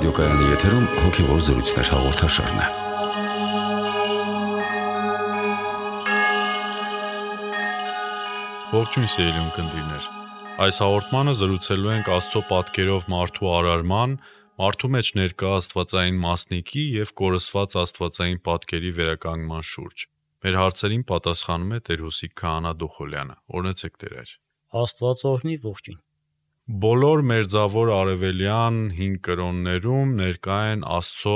Ռադիոկայանի եթերում հոգևոր զրույցներ հաղորդաշարն է։ Ողջույն սիրելի ունկնդիրներ։ Այս հաղորդմանը զրուցելու ենք Աստծո պատկերով մարդու արարման, մարդու մեջ ներկա աստվածային մասնիկի եւ կորսված աստվածային պատկերի վերականգնման շուրջ։ Մեր հարցերին պատասխանում է Տեր Հուսիկ Քահանա Դոխոլյանը։ Օրհնեցեք Տեր։ Աստված օրհնի, ողջույն։ Բոլոր մերձավոր արևելյան 5 կրոններում ներկա են Աստծո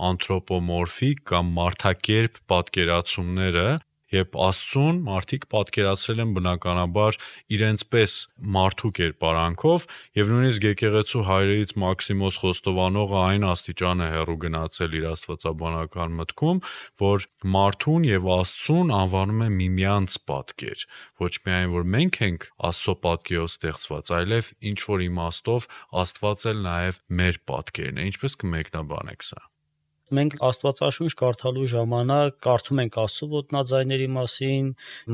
անթրոպոմորֆիկ կամ մարդակերպ պատկերացումները, երբ Աստծուն մարդիկ պատկերացրել են բնականաբար իրենց պես մարդու կերպարանքով, եւ նույնիսկ եկեղեցու հայրերից Մաքսիմոս Խոստովանողը այն աստիճան է հեռու գնացել իր աստվածաբանական մտքում, որ մարդուն եւ Աստծուն անվանում է միմյանց պատկեր, ոչ միայն որ մենք ենք Աստծո պատկերով ստեղծված, այլև ինչ որ իմաստով Աստված էլ նաեւ մեր պատկերն է։ Ինչպես կմեկնաբանեք սա։ Մենք Աստվածաշունչ կարդալու ժամանակ կարդում ենք Աստծո ոտնաձայների մասին,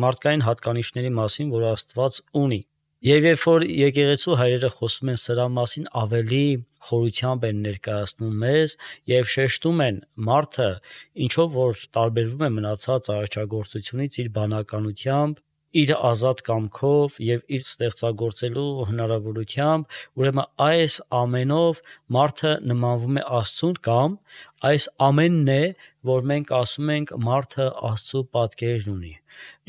մարդկային հատկանիշների մասին, որ Աստված ունի։ Եվ երբ որ եկեղեցու հայրերը խոսում են սրա մասին, ավելի խորությամբ են ներկայացնում մեզ եւ շեշտում են մարդը, ինչով որ տարբերվում է մնացած արարչագործությունից իր բանականությամբ, իր ազատ կամքով եւ իր ստեղծագործելու հնարավորությամբ, ուրեմն այս ամենով մարդը նմանվում է Աստծուն կամ այս ամենն է, որ մենք ասում ենք մարդը Աստծո պատկերն ունի։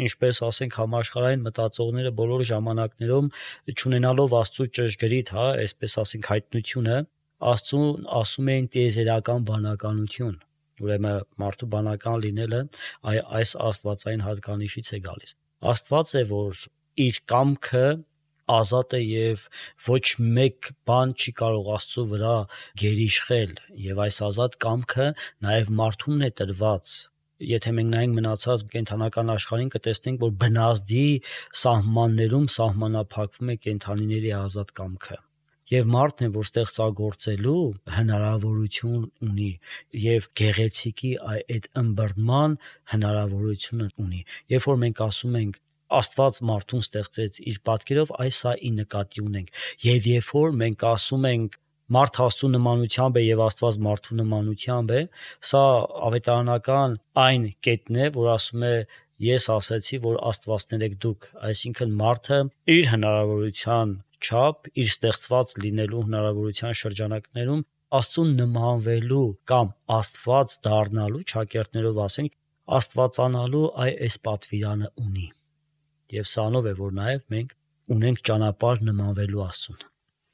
Ինչպես ասենք համաշխարհային մտածողները բոլոր ժամանակներում չունենալով Աստծո ճշգրիտ, այսպես ասենք հայտնությունը, Աստծուն ասում էին տիեզերական բանականություն։ Ուրեմն մարդու բանական լինելը այս աստվածային հատկանիշից է գալիս։ Աստված է, որ իր կամքը ազատ է եւ ոչ մեկ բան չի կարող Աստծո վրա գերիշխել եւ այս ազատ կամքը նաեւ մարդուն է տրված։ Եթե մենք նայենք մնացած կենդանական աշխարհին, կտեսնենք, որ բնազդի սահմաններում սահմանափակվում է կենդանիների ազատ կամքը։ Եվ մարդն է, որ ստեղծագործելու հնարավորություն ունի եւ գեղեցիկի այդ ըմբռնման հնարավորությունը ունի։ Երբ որ մենք ասում ենք Աստված մարդուն ստեղծեց իր պատկերով, այս սա ի նկատի ունենք։ Եվ երբ որ մենք ասում ենք մարդ Աստծո նմանությամբ է եւ Աստված մարդու նմանությամբ է, սա ավետարանական այն կետն է, որ ասում է ես ասացի, որ Աստվածներ եք դուք, այսինքն մարդը իր հնարավորության չափ, իր ստեղծված լինելու հնարավորության շրջանակներում Աստծուն նմանվելու կամ Աստված դառնալու, ճակերտներով ասենք, աստվածանալու այս պատվիրանը ունի։ Եվ սանով է, որ նաև մենք ունենք ճանապարհ նմանվելու Աստծուն։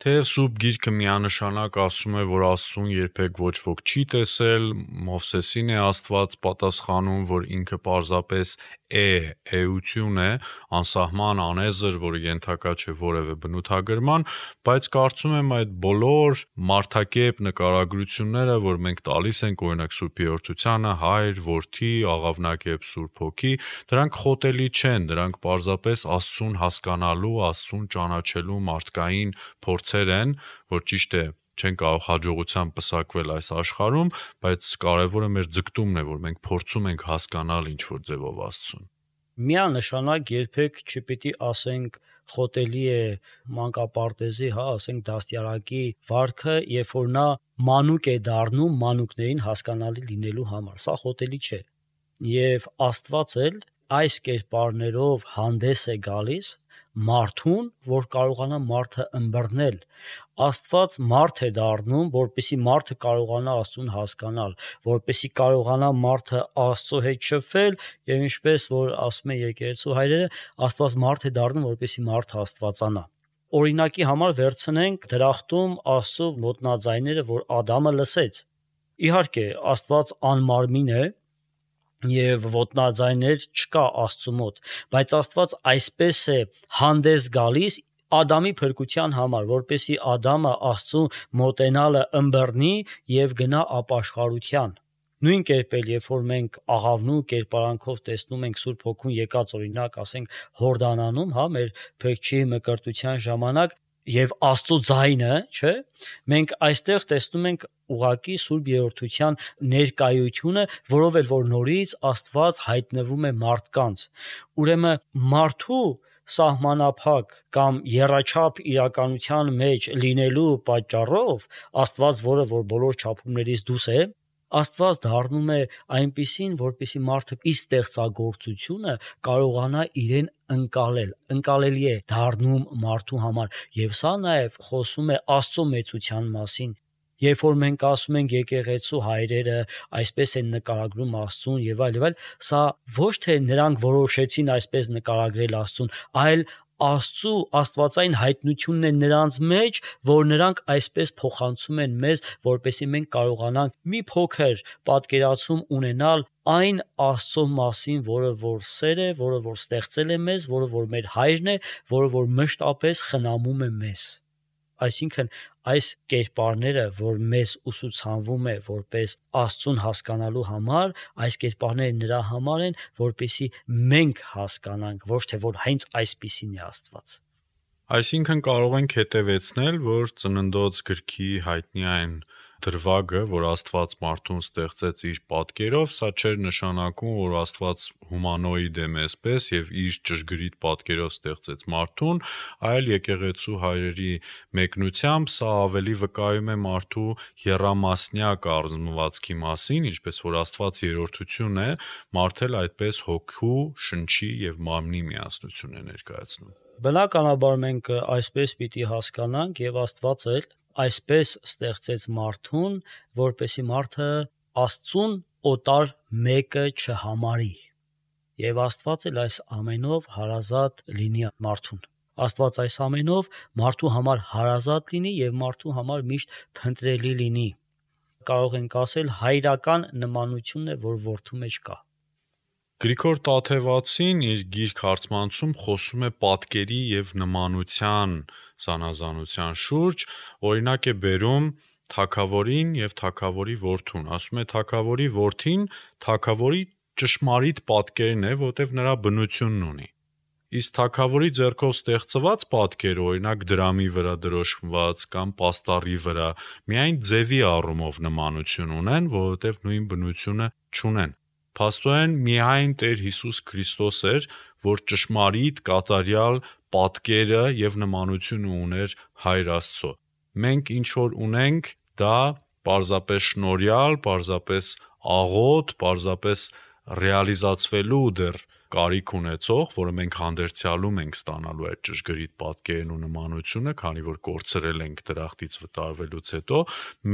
Թեև Սուրբ Գիրքը միանշանակ ասում է, որ Աստծուն երբեք ոչ ոք չի տեսել, Մովսեսին է Աստված պատասխանում, որ ինքը պարզապես էություն է, անսահման անեզր, որը ենթակա չէ որևէ բնութագրման, բայց կարծում եմ այդ բոլոր մարդակերպ նկարագրությունները, որ մենք տալիս ենք օրինակ Սուրբ Երրորդությանը, Հայր, Որդի, Աղավնակերպ Սուրբ Հոգի, դրանք խոտելի չեն, դրանք պարզապես Աստծուն հասկանալու, Աստծուն ճանաչելու մարդկային փորձեր են, որ ճիշտ է չեն կարող հաջողությամբ պսակվել այս աշխարհում, բայց կարևորը մեր ձգտումն է, որ մենք փորձում ենք հասկանալ ինչ-որ ձևով Աստծուն։ Միանշանակ երբեք չպիտի ասենք խոտելի է մանկապարտեզի, ասենք դաստիարակի վարքը, երբ որ նա մանուկ է դառնում մանուկներին հասկանալի լինելու համար։ Սա խոտելի չէ։ Եվ Աստված էլ այս կերպարներով հանդես է գալիս մարդուն, որ կարողանա մարդը ըմբռնել։ Աստված մարդ է դառնում, որպեսզի մարդը կարողանա Աստծուն հասկանալ, որպեսզի կարողանա մարդը Աստծո հետ շփվել, եւ ինչպես որ ասում է եկեղեցու հայրերը, Աստված մարդ է դառնում, որպեսզի մարդը աստվածանա։ Օրինակի համար վերցնենք դրախտում Աստծո ոտնաձայները, որ Ադամը լսեց։ Իհարկե, Աստված անմարմին է, եւ ոտնաձայներ չկա Աստծո մոտ, բայց Աստված այսպես է հանդես գալիս Ադամի փրկության համար, որպեսզի Ադամը Աստծո մոտենալը ըմբռնի եւ գնա ապաշխարության։ Նույն կերպ էլ երբ որ մենք աղավնու կերպարանքով տեսնում ենք Սուրբ Հոգուն եկած օրինակ, ասենք Հորդանանում, մեր փրկչի մկրտության ժամանակ եւ Աստծո ձայնը, չէ՞, մենք այստեղ տեսնում ենք ուղակի Սուրբ Երրորդության ներկայությունը, որով էլ որ նորից Աստված հայտնվում է մարդկանց։ Ուրեմն մարդու սահմանափակ կամ եռաչափ իրականության մեջ լինելու պատճառով Աստված, որը որ բոլոր չափումներից դուրս է, Աստված դառնում է այնպիսին, որպեսզի մարդը իր ստեղծագործությունը կարողանա իրեն ընկալելի է դառնում մարդու համար, եւ սա նաեւ խոսում է Աստծո մեծության մասին։ Երբ որ մենք ասում ենք եկեղեցու հայրերը այսպես են նկարագրում Աստծուն եւ այլ, սա ոչ թե նրանք որոշեցին այսպես նկարագրել Աստծուն, այլ Աստծու աստվածային հայտնությունն է նրանց մեջ, որ նրանք այսպես փոխանցում են մեզ, որպեսզի մենք կարողանանք մի փոքր պատկերացում ունենալ այն Աստծո մասին, որը որ սեր է, որը որ ստեղծել է մեզ, որը որ մեր հայրն է, որը որ մշտապես խնամում է մեզ։ Այսինքն այս կերպարները, որ մեզ ուսուցանվում է որպես Աստծուն հասկանալու համար, այս կերպարները նրա համար են, որպեսզի մենք հասկանանք, ոչ թե որ հենց այսպիսին է Աստված։ Այսինքն կարող ենք հետևեցնել, որ Ծննդոց գրքի հայտնի այն դրվագը, որ Աստված մարդուն ստեղծեց իր պատկերով, սա չէր նշանակում, որ Աստված հումանոիդ է մեզպես եւ իր ճշգրիտ պատկերով ստեղծեց մարդուն, այլ եկեղեցու հայրերի մեկնությամբ սա ավելի վկայում է մարդու եռամասնյակ առնվածքի մասին, ինչպես որ Աստված երրորդություն է, մարդը այդպես հոգու, շնչի եւ մարմնի միասնություն է ներկայացնում։ Բնականաբար մենք այսպես պիտի հասկանանք եւ Աստված էլ այսպես ստեղծեց մարդուն, որպեսզի մարդը Աստծուն օտար մեկը չհամարի։ Եվ Աստված էլ այս ամենով հարազատ լինի մարդուն։ Աստված այս ամենով մարդու համար հարազատ լինի եւ մարդու համար միշտ փնտրելի լինի։ Կարող ենք ասել հայրական նմանությունն է, որ որդու մեջ կա։ Գրիգոր Տաթևացին իր գիրք հարցմանցում խոսում է պատկերի եւ նմանության զանազանության շուրջ, օրինակ է բերում թագավորին եւ թագավորի որդուն, ասում է թագավորի որդին թագավորի ճշմարիտ պատկերն է, որտեվ նրա բնությունն ունի։ Իսկ թագավորի ձեռքով ստեղծված պատկերը, օրինակ դրամի վրա դրոշմված կամ պաստառի վրա, միայն ձևի առումով նմանություն ունեն, որովհետեւ նույն բնությունը չունեն։ Փաստորեն միայն Տեր Հիսուս Քրիստոս էր, որ ճշմարիտ կատարյալ պատկերը եւ նմանությունը ուներ Հայր Աստծո։ Մենք ինչ որ ունենք, դա պարզապես շնորհյալ, պարզապես աղոտ, պարզապես ռեալիզացվելու դեռ կարիք ունեցող, որը մենք հանդերձյալում ենք ստանալու այդ ճշգրիտ պատկերն ու նմանությունը, քանի որ կորցրել ենք դրախտից վտարվելուց հետո,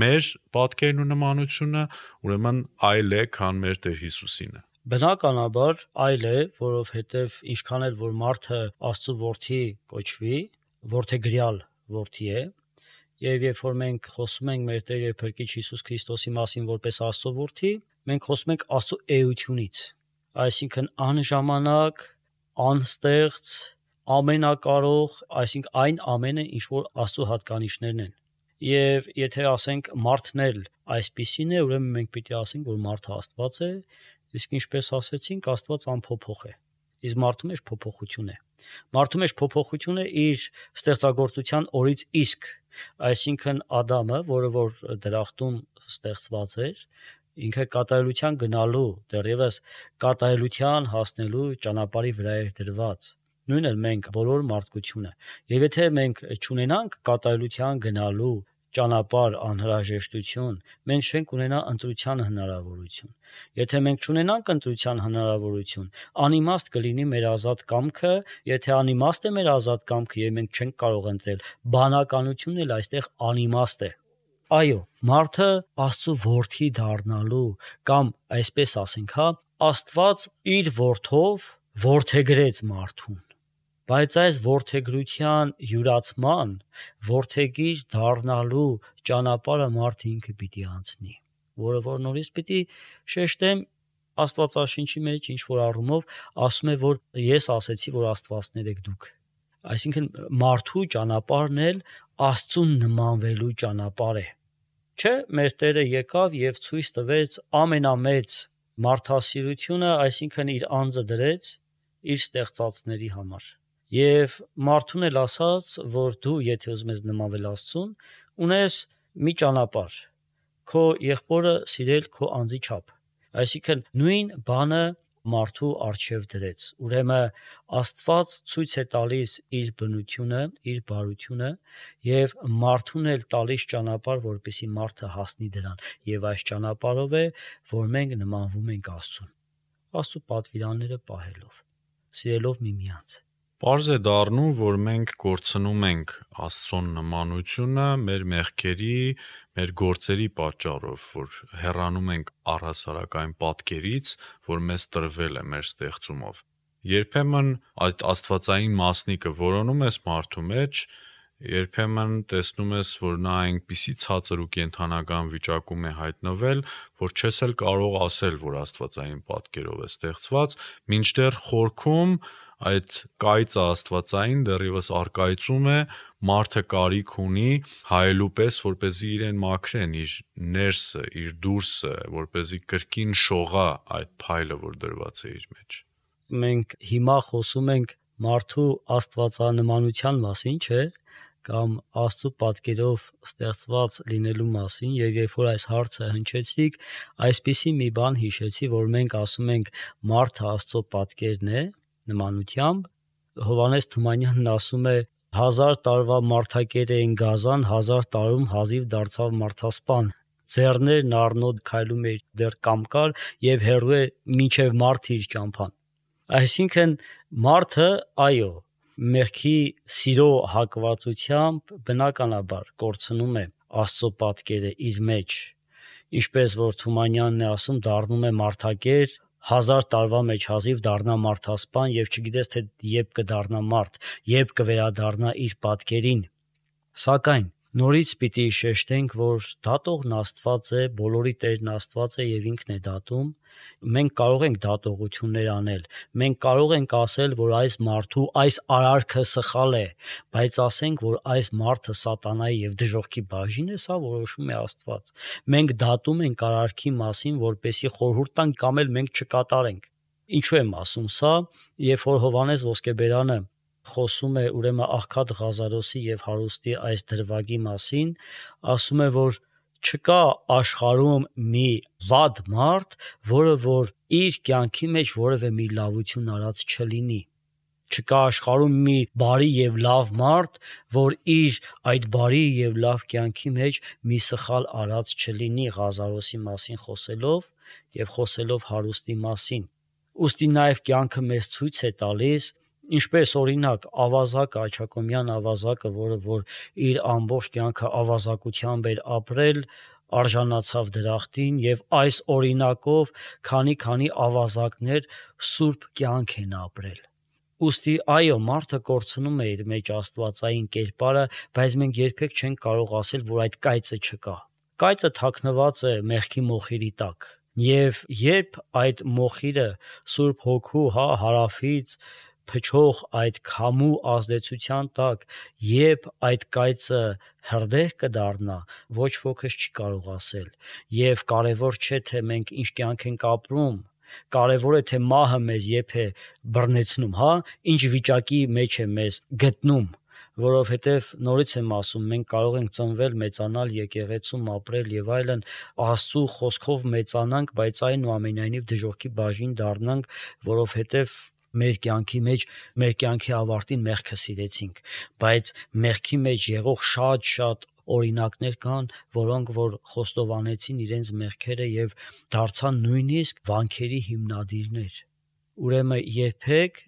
մեր պատկերն ու նմանությունը ուրեմն այլ է, քան մեր Տեր Հիսուսինը։ Բնականաբար այլ է, որովհետև ինչքան էլ որ մարդը Աստծո որդի կոչվի, որդեգրյալ որդի է, եւ երբ որ մենք խոսում ենք մեր Տեր եւ Փրկիչ Հիսուս Քրիստոսի մասին որպես Աստծո որդի, մենք խոսում ենք Աստծո էությունից, այսինքն անժամանակ, անստեղծ, ամենակարող, այսինքն այն ամենը, ինչ որ Աստծո հատկանիշներն են։ Եվ եթե ասենք մարդն էլ այսպիսին է, ուրեմն մենք պիտի ասենք, որ մարդը Աստված է, իսկ ինչպես ասեցինք, Աստված անփոփոխ է։ Իսկ մարդու մեջ փոփոխություն է։ Մարդու մեջ փոփոխությունը իր ստեղծագործության օրից իսկ, այսինքն Ադամը, որը որ դրախտում ստեղծված էր, ինքը կատարելության գնալու, դեռևս կատարելության հասնելու ճանապարհի վրա էր դրված։ Նույնն էլ մենք բոլոր մարդկությունը։ Եվ եթե մենք չունենանք կատարելության գնալու ճանապարհ անհրաժեշտություն, մենք չենք ունենա ընտրության հնարավորություն։ Եթե մենք չունենանք ընտրության հնարավորություն, անիմաստ կլինի մեր ազատ կամքը, եթե անիմաստ է մեր ազատ կամքը եւ մենք չենք կարող ընտրել, բանականությունն էլ այստեղ անիմաստ է։ Այո, մարդը Աստծո որդի դառնալու կամ այսպես ասենք, Աստված իր որդով որդեգրեց մարդուն։ Բայց այս որդեգրության յուրացման, որդեգիր դառնալու ճանապարհը մարդը ինքը պիտի անցնի, որը որ նորից պիտի շեշտեմ Աստվածաշնչի մեջ ինչ որ առումով ասում է, որ ես ասեցի, որ աստվածներ եք դուք։ Այսինքն մարդու ճանապարհն էլ Աստծուն նմանվելու ճանապարհ է։ Չէ, մեր Տերը եկավ եւ ցույց տվեց ամենամեծ մարդասիրությունը, այսինքն իր անձը դրեց իր ստեղծածների համար։ Եվ մարդուն էլ ասաց, որ դու եթե ուզում ես նմանվել Աստծուն, ունես մի ճանապարհ՝ քո եղբորը սիրել քո անձի չափ։ Այսինքն նույն բանը մարդու առջև դրեց։ Ուրեմն Աստված ցույց է տալիս իր բնությունը, իր բարությունը եւ մարդուն էլ տալիս ճանապարհ, որպեսզի մարդը հասնի դրան։ Եվ այս ճանապարհով է, որ մենք նմանվում ենք Աստծուն։ Աստծո պատվիրանները պահելով, սիրելով միմյանց։ Պարզ է դառնում, որ մենք կորցնում ենք Աստծուն նմանությունը մեր մեղքերի, մեր գործերի պատճառով, որ հեռանում ենք առհասարակ այն պատկերից, որ մեզ տրվել է մեր ստեղծումով։ Երբեմն այդ աստվածային մասնիկը որոնում ես մարդու մեջ, երբեմն տեսնում ես, որ նա այնպիսի ցածր ու կենդանական վիճակում է հայտնվել, որ չես էլ կարող ասել, որ աստվածային պատկերով է ստեղծված, մինչդեռ խորքում այդ կայծը աստվածային դեռևս առկայծում է, մարդը կարիք ունի հայելու պես, որպեսզի իրեն մաքրեն, իր ներսը, իր դուրսը, որպեսզի կրկին շողա այդ փայլը, որ դրված է իր մեջ։ Մենք հիմա խոսում ենք մարդու աստվածանմանության մասին, չէ՞, կամ Աստծո պատկերով ստեղծված լինելու մասին, եւ երբ որ այս հարցը հնչեցիք, այսպիսի մի բան հիշեցի, որ մենք ասում ենք մարդը Աստծո պատկերն է, նմանությամբ, Հովհաննես Թումանյանն ասում է 1000 տարվա մարդակեր էին գազան, 1000 տարում հազիվ դարձավ մարդասպան։ Ձեռներն առնոտ քայլում էր դեռ կամկար եւ հեռու է մինչեւ մարդ իր ճամփան։ Այսինքն մարդը, այո, մեղքի սիրո հակվածությամբ բնականաբար կորցնում է Աստծո պատկերը իր մեջ, ինչպես որ Թումանյանն է ասում, դառնում է մարդակեր, 1000 տարվա մեջ հազիվ դառնա մարդասպան եւ չգիտես թե երբ կդառնա մարդ, երբ կվերադառնա իր պատկերին։ Սակայն նորից պիտի շեշտենք, որ դատողն Աստված է, բոլորի Տերն Աստված է եւ ինքն է դատում։ Մենք կարող ենք դատողություններ անել, մենք կարող ենք ասել, որ այս մարդու այս արարքը սխալ է, բայց ասենք, որ այս մարդը սատանայի եւ դժոխքի բաժին է, սա որոշում է Աստված։ Մենք դատում ենք արարքի մասին, որպեսի խորհուրդ տանք կամ էլ մենք չկատարենք։ Ինչու եմ ասում սա, երբ որ Հովհաննես Ոսկեբերանը խոսում է ուրեմն Աղքատ Ղազարոսի եւ հարուստի այս դրվագի մասին, ասում է, որ չկա աշխարհում մի վատ մարդ, որը որ իր կյանքի մեջ որևէ մի լավություն արած չլինի։ Չկա աշխարհում մի բարի եւ լավ մարդ, որ իր այդ բարի եւ լավ կյանքի մեջ մի սխալ արած չլինի Ղազարոսի մասին խոսելով եւ խոսելով հարուստի մասին։ Ուստի նաեւ կյանքը մեզ ցույց է տալիս, ինչպես օրինակ ավազակը, Աչակոմյան ավազակը, որը որ իր ամբողջ կյանքը ավազակությամբ էր ապրել, արժանացավ դրախտին եւ այս օրինակով քանի ավազակներ սուրբ կյանք են ապրել։ Ուստի այո, մարդը կորցնում է իր մեջ աստվածային կերպարը, բայց մենք երբեք չենք կարող ասել, որ այդ կայծը չկա։ Կայծը թաքնված է մեղքի մոխիրի տակ։ Եվ երբ այդ մոխիրը Սուրբ Հոգու հարավից փչող այդ քամու ազդեցության տակ, երբ այդ կայծը հրդեհ կդառնա, ոչ ոքս չի կարող ասել։ Եվ կարևոր չէ, թե մենք ինչ կյանք ենք ապրում, կարևոր է, թե մահը մեզ երբ է բռնեցնում, ինչ վիճակի մեջ է մեզ գտնում, որովհետև նորից եմ ասում, մենք կարող ենք ծնվել, մեծանալ եկեղեցում, ապրել եւ այլն, Աստծո խոսքով մեծանանք, բայց այնուամենայնիվ դժոխքի բաժին դառնանք, որովհետև մեր կյանքի մեջ, մեր կյանքի ավարտին մեղքը սիրեցինք, բայց մեղքի մեջ եղող շատ օրինակներ կան, որոնք որ խոստովանեցին իրենց մեղքերը եւ դարձան նույնիսկ վանքերի հիմնադիրներ։ Ուրեմն երբեք,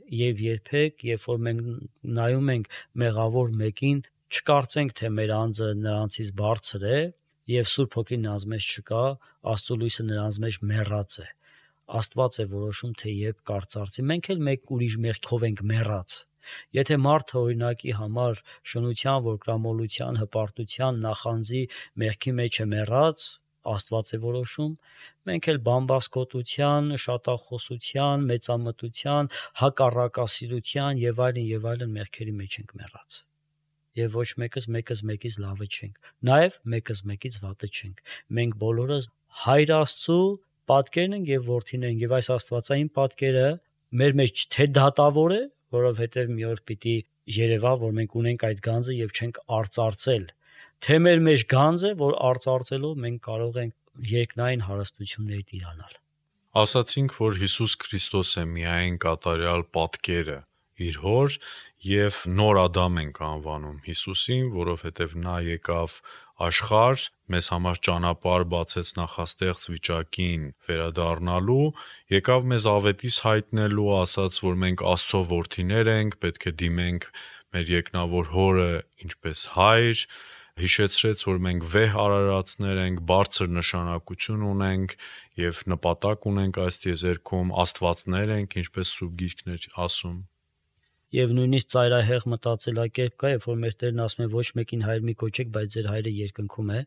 երբ որ մենք նայում ենք մեղավոր մեկին, չկարծենք, թե մեր անձը նրանցից բարձր է եւ Սուրբ Հոգին նրանց մեջ չկա, Աստծո լույսը նրանց մեջ մեռած է։ Աստված է որոշում, թե երբ կարծարծի։ Մենք էլ մեկ ուրիշ մեղքով ենք մեռած։ Եթե մարդը օրինակի համար շնության, որկրամոլության, հպարտության, նախանձի մեղքի մեջ է մեռած, Աստված է որոշում, մենք էլ բամբասկոտության, շատախոսության, մեծամտության, հակառակասիրության եւ այլն մեղքերի մեջ ենք մեռած։ Եվ ոչ մեկս մեկից լավը չենք, նաեւ մեկս մեկից վատը չենք։ Մենք բոլորս Հայր Աստծո պատկերն ենք եւ որդին ենք, եւ այս աստվածային պատկերը մեր մեջ թե դատավոր է, որովհետեւ մի օր պիտի երևա, որ մենք ունենք այդ գանձը եւ չենք արծարծել, թե մեր մեջ գանձ է, որ արծարծելով մենք կարող ենք երկնային հարստություններ տիրանալ։ Ասացինք, որ Հիսուս Քրիստոսը միայն կատարյալ պատկերը իր հոր եւ նոր Ադամ ենք անվանում Հիսուսին, որովհետեւ նա եկավ աշխարհ, մեզ համար ճանապարհ բացեց նախաստեղծ վիճակին վերադառնալու, եկավ մեզ ավետիս հայտնելու, ասաց, որ մենք Աստծո որդիներ ենք, պետք է դիմենք մեր երկնավոր հորը ինչպես հայր, հիշեցրեց, որ մենք վեհ արարածներ ենք, բարձր նշանակություն ունենք եւ նպատակ ունենք այս տիեզերքում, աստվածներ ենք, ինչպես Սուրբ Գիրքն է ասում։ Եվ նույնիսկ ծայրահեղ մտածելակերպ կա, երբ որ մեր Տերն ասում է ոչ մեկին հայր մի կոչեք, բայց ձեր հայրը երկնքում է,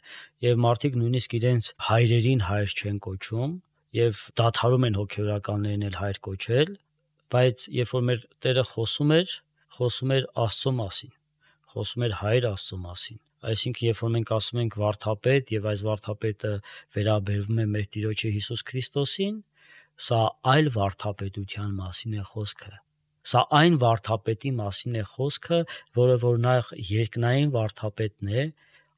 եւ մարդիկ նույնիսկ իրենց հայրերին հայր չեն կոչում եւ դադարում են հոգեորականներին էլ հայր կոչել, բայց երբ որ մեր Տերը խոսում էր Աստծո մասին, խոսում էր հայր Աստծո մասին։ Այսինքն, երբ որ մենք ասում ենք վարդապետ եւ այս վարդապետը վերաբերվում է մեր Տիրոջը Հիսուս Քրիստոսին, սա այլ վարդապետության մասին է խոսքը։ Սա այն վարդապետի մասին է խոսքը, որը որ նախ երկնային վարդապետն է,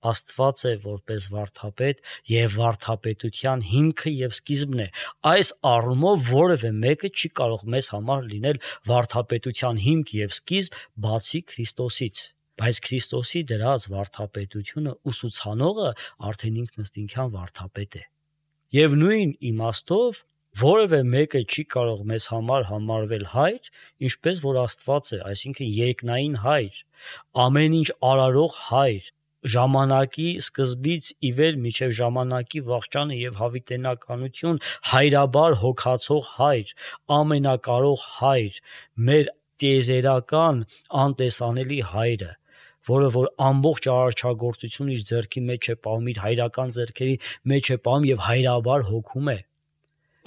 Աստված է որպես վարդապետ եւ վարդապետության հիմքը եւ սկիզբն է։ Այս առումով որևէ մեկը չի կարող մեզ համար լինել վարդապետության հիմք եւ սկիզբ բացի Քրիստոսից։ Բայց Քրիստոսի դրած վարդապետությունը ուսուցանողը արդեն ինքնըստինքյան վարդապետ է։ Եվ նույն իմաստով որևէ մեկը չի կարող մեզ համար համարվել հայր, ինչպես որ Աստված է, այսինքն երկնային հայր, ամեն ինչ արարող հայր, ժամանակի սկզբից ի վեր մինչև ժամանակի վախճանը եւ հավիտենականություն հայրաբար հոգացող հայր, ամենակարող հայր, մեր տիեզերական անտեսանելի հայրը, որը որ ամբողջ արարչագործությունը իր ձեռքի մեջ է պահում, իր հայրական ձեռքերի մեջ է պահում եւ հայրաբար հոգում է։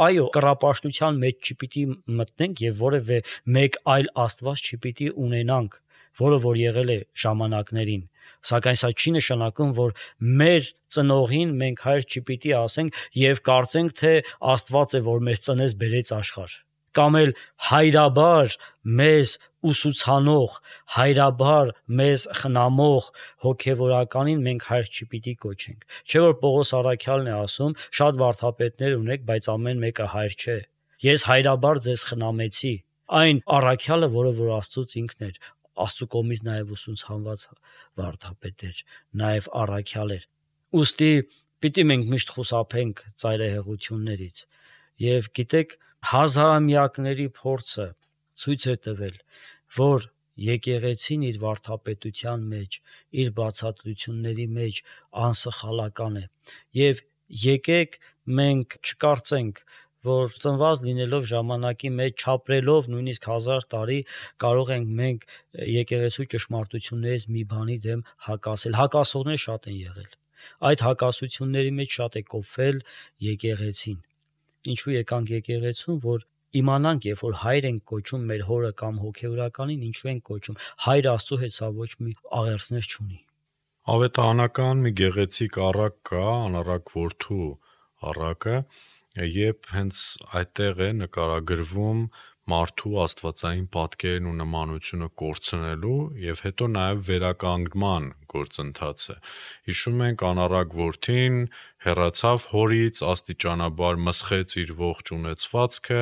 Այո, կռապաշտության մեջ չպիտի մտնենք եւ որևէ մեկ այլ Աստված չպիտի ունենանք, որը որ եղել է ժամանակներին, սակայն սա չի նշանակում, որ մեր ծնողին մենք հայր չպիտի ասենք եւ կարծենք, թե Աստված է, որ մեզ ծնեց բերեց աշխարհ, կամ էլ հայրաբար մեզ ուսուցանող, հայրաբար մեզ խնամող հոգևորականին մենք հայր չպիտի կոչենք։ Չէ՞ որ Պողոս առաքյալն է ասում, շատ վարդապետներ ունեք, բայց ամեն մեկը հայր չէ։ Ես հայրաբար ձեզ խնամեցի։ Այն առաքյալը, որը որ Աստծուց ինքն էր, Աստծու կողմից նաև ուսուցանված վարդապետ էր, նաև առաքյալ էր։ Ուստի պիտի մենք միշտ խուսափենք ծայրահեղություններից։ Եվ գիտեք, հազարամյակների փորձը ցույց է տվել, որ եկեղեցին իր վարդապետության մեջ, իր բացատրությունների մեջ անսխալական է։ Եվ եկեք մենք չկարծենք, որ ծնված լինելով ժամանակի մեջ, չապրելով նույնիսկ 1000 տարի, կարող ենք մենք եկեղեցու ճշմարտություններից մի բանի դեմ հակասել։ Հակասողներ շատ են եղել։ Այդ հակասությունների մեջ շատ է կոփվել եկեղեցին։ Ինչու եկանք եկեղեցուն, որ իմանանք, երբ որ հայր ենք կոչում մեր հորը կամ հոգևորականին, ինչու ենք կոչում։ Հայր Աստծո հետ սա ոչ մի աղերսներ չունի։ Ավետարանական մի գեղեցիկ առակ կա, անառակ որդու առակը, երբ հենց այդտեղ է նկարագրվում մարդու աստվածային պատկերն ու նմանությունը կորցնելու եւ հետո նաեւ վերականգնման գործընթացը։ Հիշում ենք անառակ որդին հեռացավ հորից, աստիճանաբար մսխեց իր ողջ ունեցվածքը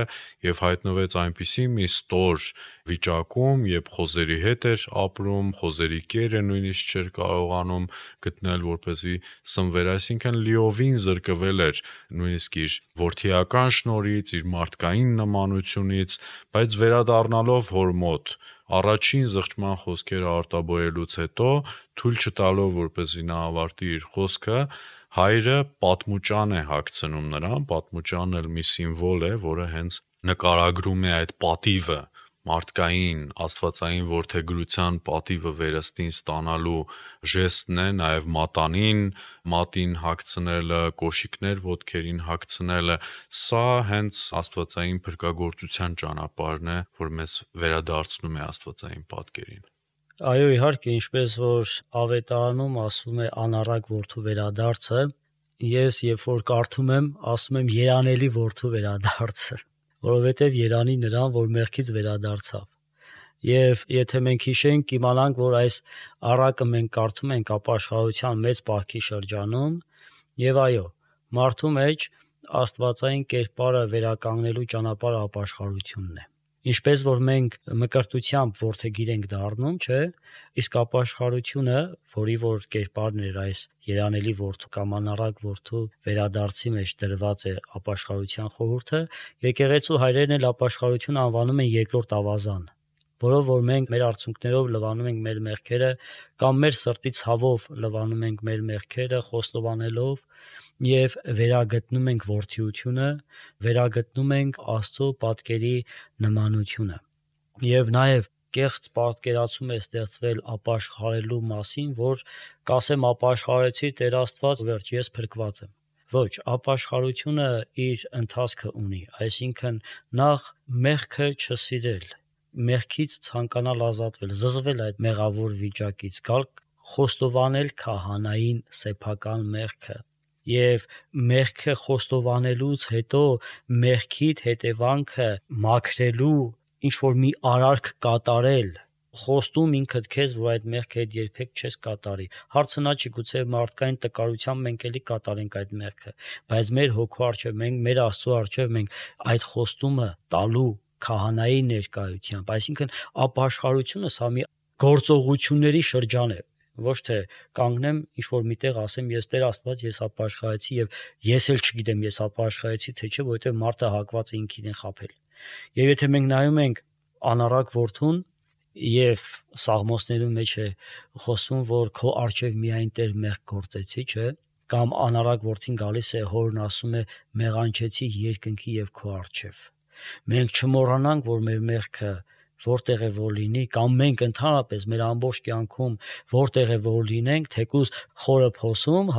եւ հայտնվեց այնպիսի մի ստոր վիճակում, երբ խոզերի հետ էր ապրում, խոզերի կերը նույնիսկ չէր կարողանում գտնել, որպեսզի սնվեր, այսինքն լիովին զրկվել էր նույնիսկ իր որդիական շնորհից, իր մարդկային նմանությունից, բայց վերադառնալով հոր մոտ առաջին զղջման խոսքերը արտաբերելուց հետո թույլ չտալով, որպեսզի նա ավարտի իր խոսքը, հայրը պատմուճան է հագցնում նրան, պատմուճանն էլ մի սիմվոլ է, որը հենց նկարագրում է այդ պատիվը, մարդկային, աստվածային որդեգրության պատիվը վերստին ստանալու ժեստն է, նաև մատին հագցնելը, կոշիկներ ոտքերին հագցնելը, սա հենց աստվածային փրկagorցության ճանապարհն է, որ մեզ վերադարձնում է աստվածային պատկերին։ Այո, իհարկե, ինչպես որ ավետարանում ասում է անառակ որդու վերադարձը, ես երբ որ կարդում եմ, ասում եմ երանելի որդու վերադարձը, որովհետև երանի նրան, որ մեղքից վերադարձավ։ Եվ եթե մենք հիշենք, կիմանանք, որ այս առակը մենք կարդում ենք ապաշխարության մեծ պահքի շրջանում, եւ այո, մարդու մեջ աստվածային կերպարը վերականգնելու ճանապարհը ապաշխարությունն է։ Ինչպես որ մենք մկրտությամբ որդեգիր ենք դառնում, չէ, իսկ ապաշխարությունը, որի որ կերպարն էր այս երանելի որդու կամ անառակ որդու վերադարձի մեջ դրված է ապաշխարության խորհուրդը, եկեղեցու հայրերն էլ ապաշխարությունը անվանում են երկրորդ ավազան, որով որ մենք մեր արցունքներով լվանում ենք մեր մեղքերը կամ մեր սրտի ցավով լվանում ենք մեր մեղքերը, խոստովանելով եւ վերագտնում ենք որդիությունը, վերագտնում ենք Աստծո պատկերի նմանությունը։ Եվ նաեւ կեղծ պատկերացում է ստեղծվել ապաշխարելու մասին, որ կասեմ ապաշխարեցի Տեր Աստված, վերջ, ես փրկված եմ։ Ոչ, ապաշխարությունը իր ընթացքը ունի, այսինքն նախ մեղքը չսիրել, մեղքից ցանկանալ ազատվել, զզվել այդ մեղավոր վիճակից, գալ խոստովանել քահանային սեփական մեղքը եւ մեղքը խոստովանելուց հետո մեղքիդ հետևանքը մաքրելու ինչ որ մի արարք կատարել, խոստում ինքդ քեզ, որ այդ մեղքը հետ երբեք չես կատարի։ Հարցը նա չի, գուցե մարդկային տկարությամբ մենք էլի կատարենք այդ մեղքը, բայց մեր հոգու առջև մենք, մեր Աստծո առջև մենք այդ խոստումը տալու քահանայի ներկայությամբ, այսինքն ապաշխարությունը սա մի գործողությունների շրջան է, ոչ թե կանգնեմ ինչ որ միտեղ ասեմ ես Տեր Աստված ես ապաշխարեցի եւ ես էլ չգիտեմ ես ապաշխարեցի թե չէ, որովհետեւ մարդը հակված է ինքին խաբել։ Եվ եթե մենք նայում ենք անառակ որդուն եւ Սաղմոսներում մեջ է խոսվում, որ քո առջև միայն Տեր մեղք գործեցի, չէ, կամ անառակ որդին գալիս է հորն ասում է մեղանչեցի երկնքի եւ քո առջև։ Մենք չմոռանանք, որ մեր մեղքը որտեղ է որ լինի, կամ մենք ընդհանրապես մեր ամբողջ կյանքում որտեղ է որ լինենք, թեկուզ խորը փոսում,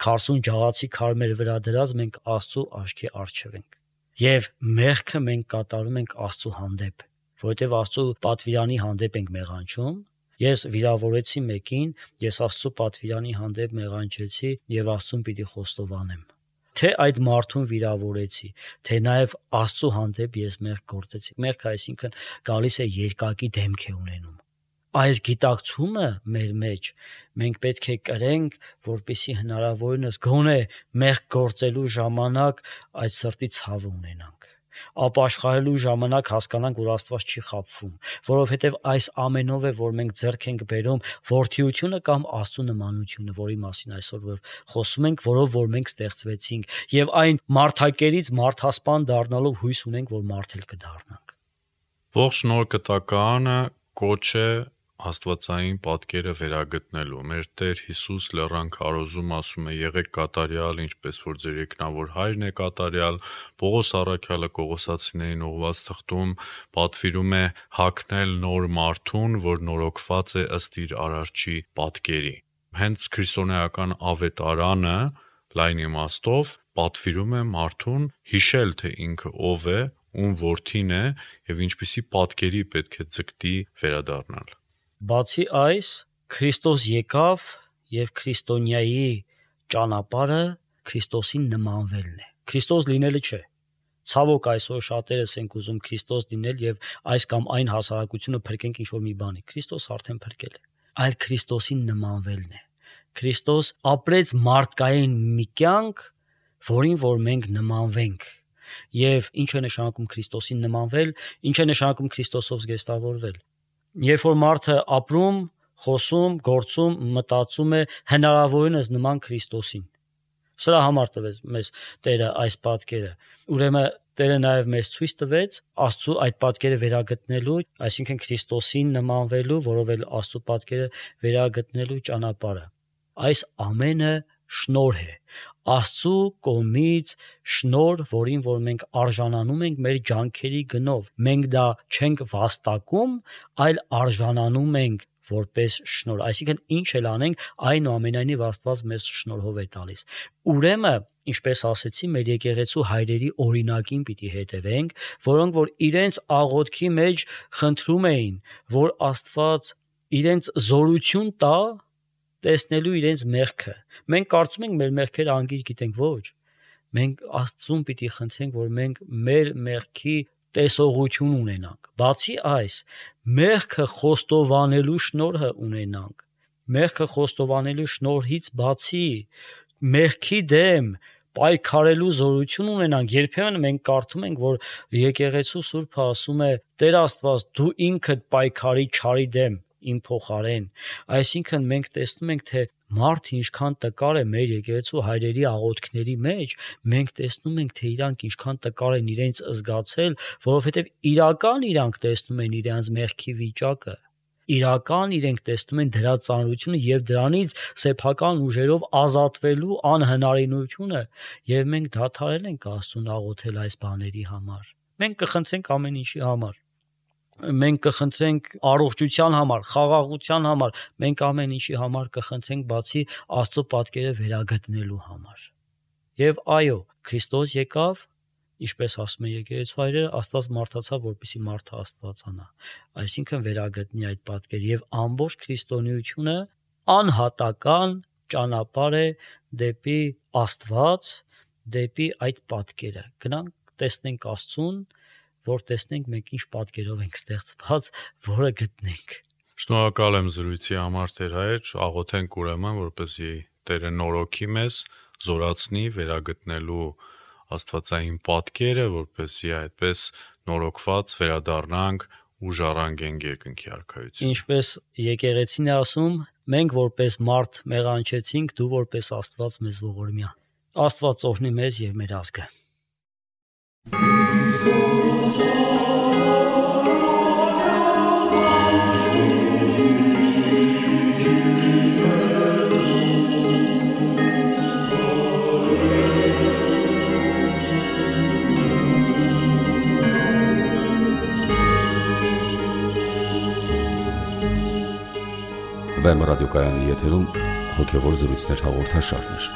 քարսուն ջաղացի քարմեր վրա դրած մենք Աստծո աչքի առջև ենք։ Եվ մեղքը մենք կատարում ենք Աստծո հանդեպ, որովհետև Աստծո պատվիրանի հանդեպ ենք մեղանչում։ Ես վիրավորեցի մեկին, ես Աստծո պատվիրանի հանդեպ մեղանչեցի եւ Աստծուն պիտի խոստովանեմ։ Թե այդ մարդուն վիրավորեցի, թե նաև Աստծո հանդեպ ես մեղք գործեցի։ Մեղքը այսինքն գալիս է երկակի դեմք է ունենում։ Այս գիտակցումը մեր մեջ մենք պետք է կրենք, որպեսզի հնարավորինս գոնե մեղք գործելու ժամանակ այդ սրտի ցավը ունենանք։ Ապաշխարելու ժամանակ հասկանանք, որ Աստված չի խաբվում, որովհետև այս ամենով է, որ մենք ձեռք ենք բերում որդիությունը կամ Աստծո նմանությունը, որի մասին այսօր որ խոսում ենք, որով որ մենք ստեղծվեցինք, եւ այն մարդակերից մարդասպան դառնալով հույս ունենք, որ մարդ էլ կդառնանք։ Ողջ նոր կտակարանը կոչ է աստվածային պատկերը վերագտնելու։ Մեր Տեր Հիսուս լեռան քարոզում ասում է. «Եղեք կատարյալ, ինչպես որ ձեր երկնավոր Հայրն է կատարյալ»։ Պողոս առաքյալը Կողոսացիներին ուղղված թղթում պատվիրում է հագնել նոր մարդուն, որ նորոգված է ըստ իր արարչի պատկերի։ Հենց քրիստոնեական ավետարանը լայն իմաստով պատվիրում է մարդուն հիշել, թե ինքը ով է, ում որդին է եւ ինչպիսի պատկերի պետք է ձգտի վերադառնալ։ Բացի այս, Քրիստոս եկավ եւ քրիստոնյայի ճանապարհը Քրիստոսին նմանվելն է։ Քրիստոս լինելը չէ։ Ցավոք այսօր շատերս ենք ուզում Քրիստոս լինել եւ այս կամ այն հասարակությունը փրկենք ինչ-որ մի բանի։ Քրիստոս արդեն փրկել է, այլ Քրիստոսին նմանվելն է։ Քրիստոս ապրեց մարդկային մի կյանք, որին որ մենք նմանվենք։ Եվ ինչ է նշանակում Քրիստոսին նմանվել, ինչ է նշանակում Քրիստոսով զգեստավորվել։ Երբ որ մարդը ապրում, խոսում, գործում, մտածում է հնարավորինս նման Քրիստոսին։ Սրա համար տվեց մեզ Տերը այս պատկերը։ Ուրեմն Տերը նաև մեզ ցույց տվեց Աստծո այդ պատկերը վերագտնելու, այսինքն Քրիստոսին նմանվելու, որով էլ Աստծո պատկերը վերագտնելու ճանապարհը։ Այս ամենը շնորհ է։ Աստծո կողմից շնորհ, որին որ մենք արժանանում ենք մեր ջանքերի գնով։ Մենք դա չենք վաստակում, այլ արժանանում ենք որպես շնորհ։ Այսինքն ինչ էլ անենք, այնուամենայնիվ Աստված մեզ շնորհով է տալիս։ Ուրեմն, ինչպես ասեցի, մեր եկեղեցու հայրերի օրինակին պիտի հետևենք, որոնք որ իրենց աղոթքի մեջ խնդրում էին, որ Աստված իրենց զորություն տա տեսնելու իրենց մեղքը։ Մենք կարծում ենք մեր մեղքերը անգիր գիտենք, ոչ։ Մենք Աստծուն պիտի խնդրենք, որ մենք մեր մեղքի տեսողություն ունենանք։ Բացի այս, մեղքը խոստովանելու շնորհը ունենանք։ Մեղքը խոստովանելու շնորհից բացի մեղքի դեմ պայքարելու զորություն ունենանք։ Երբեմն մենք կարդում ենք, որ եկեղեցու Սուրբը ասում է. «Տեր Աստված, դու ինքդ պայքարի չարի դեմ իմ փոխարեն»։ Այսինքն մենք տեսնում ենք, թե մարդը ինչքան տկար է մեր եկեղեցու հայրերի աղոթքների մեջ, մենք տեսնում ենք, թե իրանք ինչքան տկար են իրենց զգացել, որովհետև իրական իրանք տեսնում են իրենց մեղքի վիճակը։ Իրական իրենք տեսնում են դրա ծանրությունը եւ դրանից սեփական ուժերով ազատվելու անհնարինությունը, եւ մենք դադարել ենք Աստծուն աղոթել այս բաների համար։ Մենք կխնդրենք ամեն ինչի համար։ Մենք կխնդրենք առողջության համար, խաղաղության համար, մենք ամեն ինչի համար կխնդրենք բացի Աստծո պատկերը վերագտնելու համար։ Եվ այո, Քրիստոս եկավ, ինչպես ասում է եկեղեցու հայրերը, Աստված մարդացավ, որպեսզի մարդը աստվածանա։ Այսինքն վերագտնի այդ պատկերը եւ ամբողջ քրիստոնեությունը անհատական ճանապարհ է դեպի Աստված, դեպի այդ պատկերը։ Գնանք տեսնենք Աստծուն, որ տեսնենք մենք ինչ պատկերով ենք ստեղծված, որը գտնենք։ Շնորհակալ եմ զրույցի համար, Տեր հայր, աղոթենք ուրեմն, որպեսզի Տերը նորոգի մեզ, զորացնի վերագտնելու Աստվածային պատկերը, որպեսզի այդպես նորոգված վերադառնանք ու ժառանգենք երկնքի արքայություն։ Ինչպես եկեղեցին է ասում, մենք որպես մարդ մեղանչեցինք, դու որպես Աստված մեզ ողորմյա։ Աստված օրհնի մեզ եւ մեր ազգը։ Վեմ ռադիոկայանի եթերում հոգևոր զրույցներ հաղորդաշարներ։